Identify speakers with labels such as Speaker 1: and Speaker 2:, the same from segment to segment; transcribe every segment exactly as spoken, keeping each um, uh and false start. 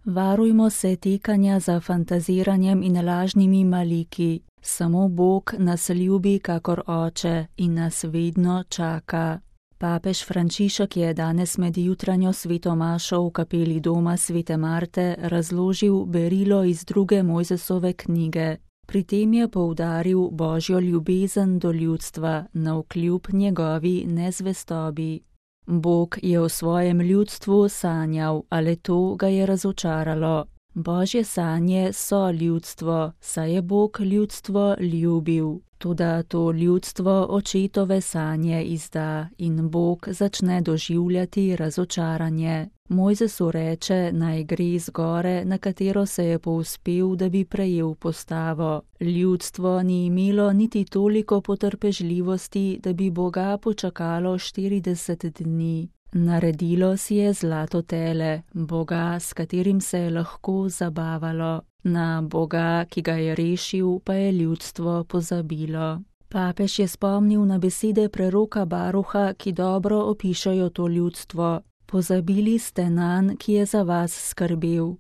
Speaker 1: Varujmo se tekanja za fantaziranjem in lažnimi maliki. Samo Bog nas ljubi kakor oče in nas vedno čaka. Papež Frančišek je danes med jutranjo sveto mašo v kapeli doma svete Marte razložil berilo iz druge Mojzesove knjige. Pri tem je poudaril Božjo ljubezen do ljudstva navkljub njegovi nezvestobi. Bog je o svojem ljudstvu sanjal, ale to ga je razočaralo. Božje sanje so ljudstvo, saj je Bog ljudstvo ljubil. Toda to ljudstvo očetove sanje izda in Bog začne doživljati razočaranje. Mojzesu reče, naj gre z gore, na katero se je povzpel, da bi prejel postavo. Ljudstvo ni imelo niti toliko potrpežljivosti, da bi Boga počakalo štirideset dni. Naredilo si je zlato tele, Boga, s katerim se je lahko zabavalo. Na Boga, ki ga je rešil, pa je ljudstvo pozabilo. Papež je spomnil na besede preroka Baruha, ki dobro opišajo to ljudstvo. Pozabili ste nanj, ki je za vas skrbel.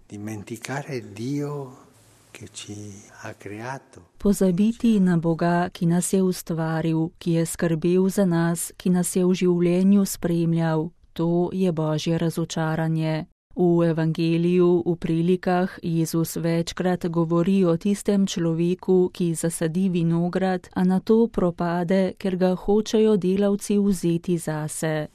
Speaker 1: Pozabiti na Boga, ki nas je ustvaril, ki je skrbel za nas, ki nas je v življenju spremljal. To je Božje razočaranje. V evangeliju, v prilikah, Jezus večkrat govori o tistem človeku, ki zasadi vinograd, a nato propade, ker ga hočejo delavci vzeti zase.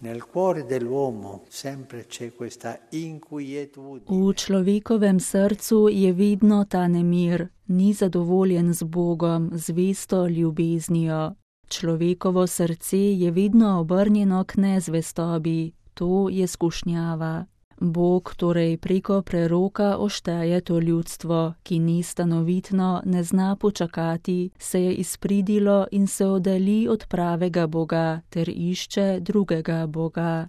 Speaker 1: V človekovem srcu je vedno ta nemir, ni zadovoljen z Bogom, zvesto ljubeznijo. Človekovo srce je vedno obrnjeno k nezvestobi, to je skušnjava. Bog torej preko preroka ošteje to ljudstvo, ki ni stanovitno, ne zna počakati, se je izpridilo in se oddalji od pravega Boga ter išče drugega Boga.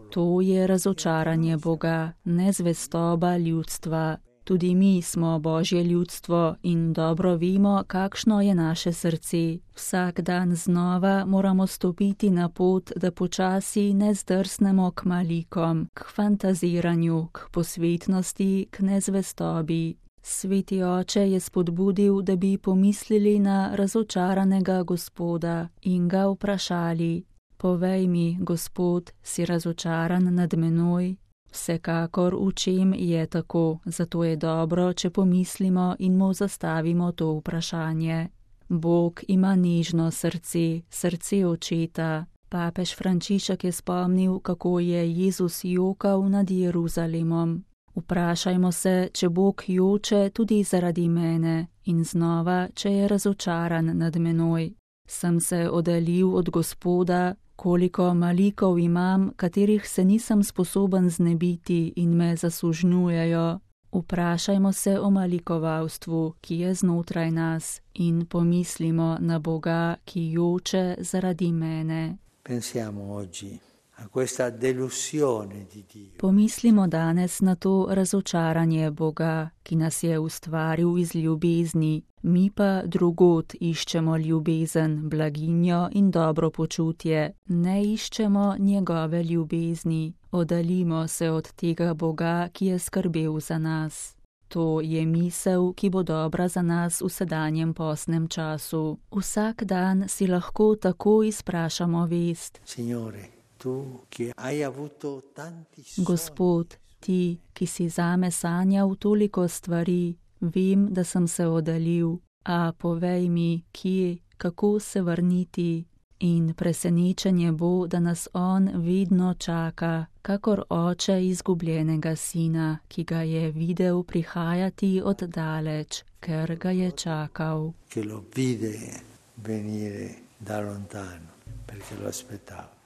Speaker 1: To je razočaranje Boga, nezvestoba ljudstva. Tudi mi smo Božje ljudstvo in dobro vemo, kakšno je naše srce. Vsak dan znova moramo stopiti na pot, da počasi ne zdrsnemo k malikom, k fantaziranju, k posvetnosti, k nezvestobi. Sveti oče je spodbudil, da bi pomislili na razočaranega Gospoda in ga vprašali: povej mi, Gospod, si razočaran nad menoj? Vsekakor v čem je tako, zato je dobro, če pomislimo in mu zastavimo to vprašanje. Bog ima nežno srce, srce očeta. Papež Frančišek je spomnil, kako je Jezus jokal nad Jeruzalemom. Vprašajmo se, če Bog joče tudi zaradi mene in znova, če je razočaran nad menoj. Sem se oddaljil od Gospoda, koliko malikov imam, katerih se nisem sposoben znebiti in me zasužnjujejo. Vprašajmo se o malikovalstvu, ki je znotraj nas, in pomislimo na Boga, ki joče zaradi mene.
Speaker 2: Pensiamo oggi a questa delusione di Dio.
Speaker 1: Pomislimo danes na to razočaranje Boga, ki nas je ustvaril iz ljubezni, mi pa drugod iščemo ljubezen, blaginjo in dobro počutje, ne iščemo njegove ljubezni, oddaljimo se od tega Boga, ki je skrbel za nas. To je misel, ki bo dobra za nas v sedanjem postnem času. Vsak dan si lahko tako izprašamo vest.
Speaker 2: Signore, tu, ki hai avuto tanti sogni.
Speaker 1: Gospod, ti, ki si zame sanjal toliko stvari, vem, da sem se oddaljil, a povej mi, kje, kako se vrniti. In presenečenje bo, da nas on vedno čaka, kakor oče izgubljenega sina, ki ga je videl prihajati od daleč, ker ga je čakal.
Speaker 2: Che lo vide venire da lontano, perché lo aspettava.